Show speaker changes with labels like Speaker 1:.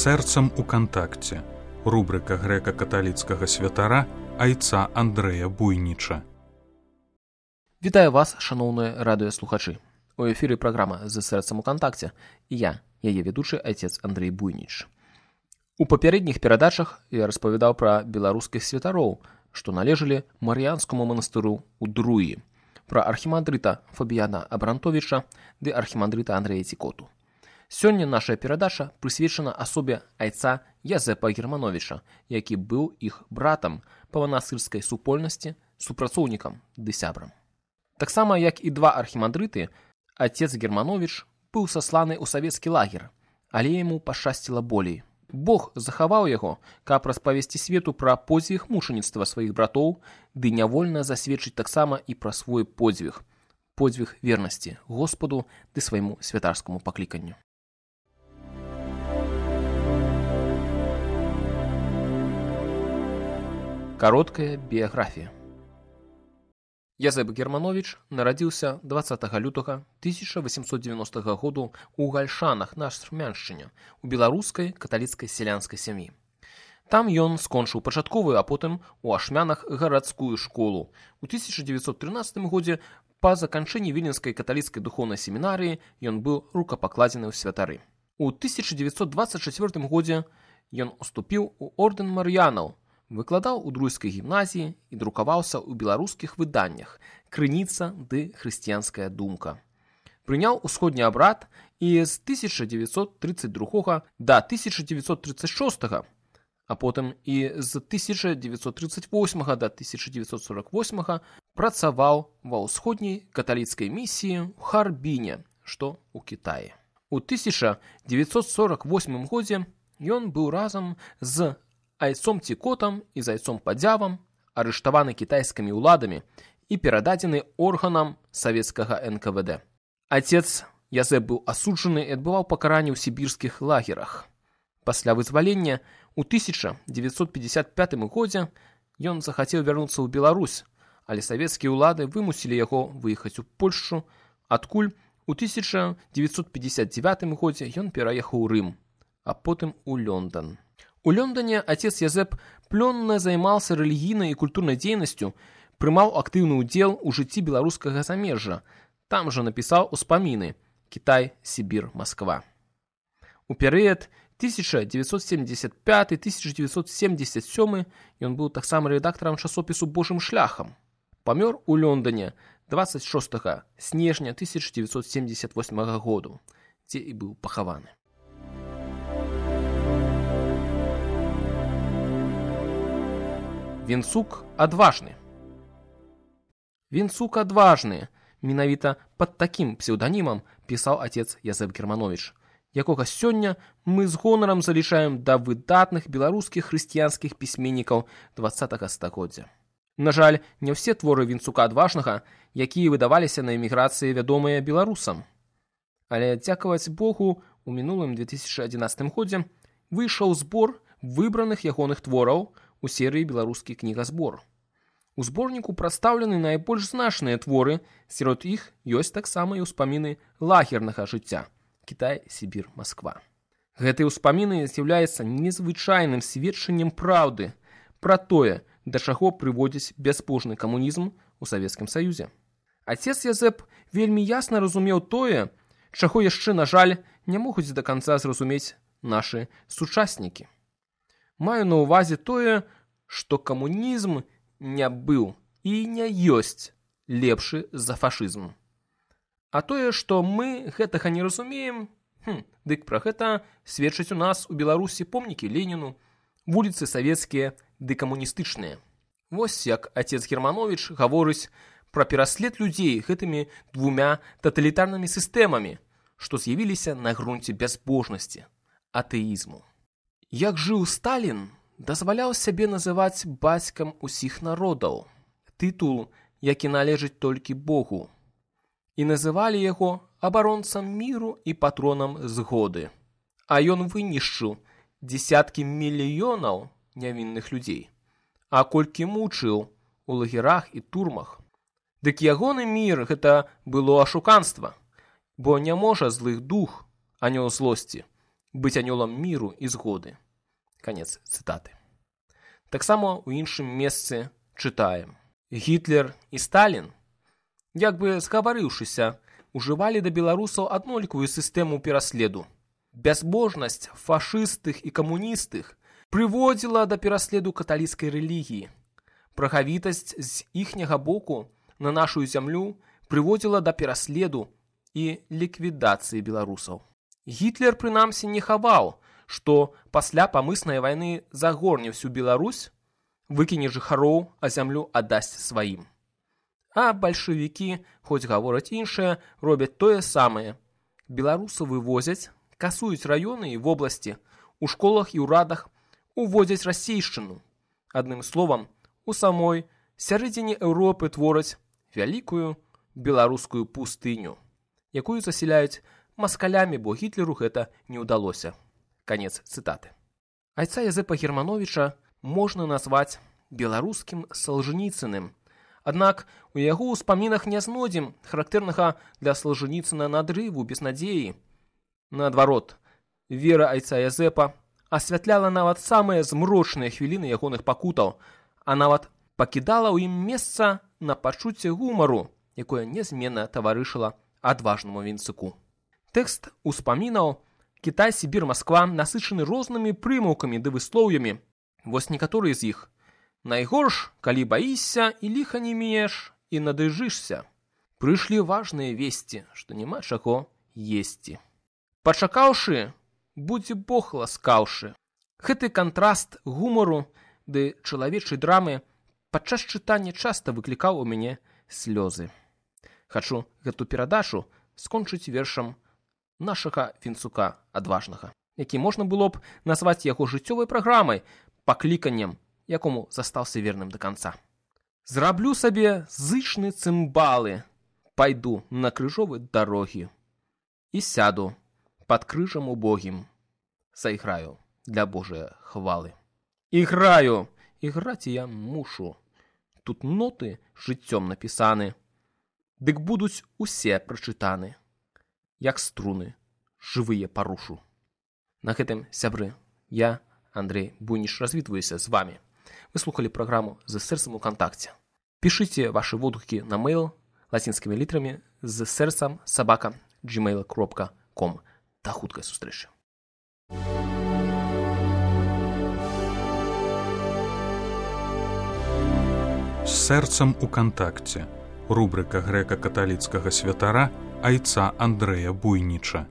Speaker 1: сэрцам у кантакце. Рубрика грэка-каталіцкага святара айца Андрэя Буйніча.
Speaker 2: Вітаю вас, шаноўныя радыёслухачы. У эфіры праграма «З сэрцам у кантакце» і я, яе ведучы айцец Андрэй Буйніч. У папярэдніх перадачах я распавядаў пра беларускіх святароў, што належалі Мар'янскаму манастыру ў Друі, пра архімандрыта Фабіяна Абрантовіча ды архімандрыта Андрэя Цікоту. Сёння наша перадача прысвечана асобе айца Язэпа Германовіча, які быў іх братам па манастырскай супольнасці, супрацоўнікам ды сябрам. Таксама, як і два архімандрыты, отец Германович быў сасланы ў савецкі лагер, але яму пашчасціла болей. Бог захаваў яго, каб распавесці свету пра подзвіг мучаніцтва сваіх братоў, ды нявольна засведчыць таксама і пра свой подзвіг вернасці Господу ды свайму святарскаму пакліканню. Кароткая біяграфія. Язэп Германович нарадзіўся 20 лютага 1890 году ў Гальшанах на Ашмяншчыне у беларускай каталіцкай сялянскай сям'і. Там ён скончыў пачатковую, а потым у Ашмянах гарадскую школу. У 1913 годзе па заканчэнні Віленскай каталіцкай духоўнай семінарыі ён быў рукапакладзены ў святары. У 1924 годзе ён уступіў у ордэн Мар'янаў, выкладаў у Друйскай гімназіі і друкаваўся ў беларускіх выданнях «Крыніца» ды «Хрысціянская думка». Прыняў усходні абрад і з 1932 да 1936, а потым і з 1938 да 1948 працаваў ва ўсходняй каталіцкай місіі ў Харбіне, што ў Кітаі. У 1948 годзе ён быў разам з айцом Цікотам і з айцом Падзявам арыштаваны кітайскімі ўладамі і перададзены органам савецкага НКВД. Отец Язэп быў асуджаны і адбываў пакаранне ў сібірскіх лагерах. Пасля вызвалення ў 1955 годзе ён захацеў вярнуцца ў Беларусь, але савецкія ўлады вымусілі яго выехаць у Польшчу, адкуль у 1959 годзе ён пераехаў у Рым, а потым у Лондон. У Лондоне отец Язэп плённа займаўся рэлігійнай і культурнай дзейнасцю, прымаў актыўны ўдзел у жыцці беларускага замежжа. Там жа напісаў успаміны «Кітай, Сібір, Масква». У перыяд 1975-1977 ён быў таксама рэдактарам часопісу «Божым шляхам». Памёр у Лондоне 26 снежня 1978 году, дзе і быў пахаваны. Вінцук адважны. Вінцук адважны. Менавіта пад такім псеўданімам пісаў отец Язэп Германович, якога сёння мы з гонарам залічаем да выдатных беларускіх хрысціянскіх пісьменнікаў 20-го стагоддзя. На жаль, не ўсе творы Вінцука адважнага, якія выдаваліся на эміграцыі, вядомыя беларусам. Але, дзякаваць Богу, у мінулым 2011 годзе выйшаў збор выбраных ягоных твораў у серыі «Беларускі кнігазбор». У зборніку прадстаўлены найбольш значныя творы, сярод іх ёсць таксама і ўспаміны лагернага жыцця «Кітай, Сібір, Масква». Гэтыя ўспаміны з'яўляюцца незвычайным сведчаннем праўды пра тое, да чаго прыводзіць бязбожны камунізм у Савецкім Саюзе. Отец Язэп вельмі ясна разумеў тое, чаго яшчэ, на жаль, не могуць да канца зразумець нашы сучаснікі. Маю на ўвазе тое, што камунізм не быў і не ёсць лепшы за фашызм. А тое, што мы гэтага не разумеем, дык пра гэта сведчаць у нас у Беларусі помнікі Леніну, вуліцы савецкія ды камуністычныя. Вось як отец Германович гаворыць пра пераслед людзей гэтымі двумя таталітарнымі сістэмамі, што з'явіліся на грунце бязбожнасці, атэізму. Як жыў Сталін, дазваляў сябе называць бацькам усіх народаў, тытул, які належыць толькі Богу, і называлі яго абаронцам міру і патронам згоды. А ён вынішчыў дзесяткі мільёнаў нявінных людзей, а колькі мучыў у лагерах і турмах. Дык ягоны мір гэта было ашуканства, бо не можа злых дух, анёл злосці, быць анёлам міру і згоды. Канец цытаты. Таксама ў іншым месцы чытаем. Гітлер і Сталін, як бы згаварыўшыся, ужывалі да беларусаў аднолькавую сістэму пераследу. Бязбожнасць фашыстых і камуністых прыводзіла да пераследу каталіцкай рэлігіі. Прагавітасць з іхняга боку на нашу зямлю прыводзіла да пераследу і ліквідацыі беларусаў. Гітлер, прынамсі, не хаваў, што пасля памыснай вайны загорне всю Беларусь, выкіне жыхароў, а зямлю аддасць сваім. А бальшавікі, хоць гавораць іншае, робяць тое самае. Беларусаў вывозяць, касуюць раёны і вобласці, у школах і ўрадах уводзяць расейшчыну. Адным словам, у самой сярэдзіне Еўропы твораць вялікую беларускую пустыню, якую засяляюць маскалямі, бо Гітлеру гэта не ўдалося. Канец цытаты. Айца Язэпа Германовіча можна назваць беларускім Салжаніцыным. Аднак у яго ўспамінах не знойдзем характэрнага для Салжаніцына надрыву, безнадзеі. Наадварот, вера айца Язэпа асвятляла нават самыя змрочныя хвіліны ягоных пакутаў, а нават пакідала ў ім месца на пачуцце гумару, якое нязменна таварышыла адважнаму вінцыку. Тэкст успамінаў «Кітай, Сібір, Масква» насычаны рознымі прымаўкамі ды выслоўямі. Вось некаторыя з іх. «Найгорш, калі баішся, і ліха не мееш, і надыжышся. Прыйшлі важныя весці, што няма чаго есці. Пачакаўшы, будзе Бог ласкаўшы». Гэты кантраст гумару ды чалавечай драмы падчас чытання часта выклікаў у мяне слёзы. Хачу гэту перадачу скончыць вершам нашага Вінцука адважнага, які можна было б назваць яго жыццёвай праграмай, пакліканнем, якому застаўся верным да канца. Зраблю сабе зычны цымбалы, пайду на крыжовы дарогі і сяду пад крыжам убогім, зайграю для Божыя хвалы. Іграю, іграць я мушу, тут ноты жыццём напісаны, дык будуць усе прачытаны, як струны жывыя парушу. На гэтым, сябры, я, Андрей Буйніч, развітваюся з вами. Вы слухали праграму «З сэрцам у кантакце». Пішыце вашы водгукі на мейл лацінскімі літрамі з сэрцам @gmail.com. Да хуткай сустрэчы.
Speaker 1: З сэрцам у кантакце. Рубрика грэка-каталіцкага святара айца Андрэя Буйніча.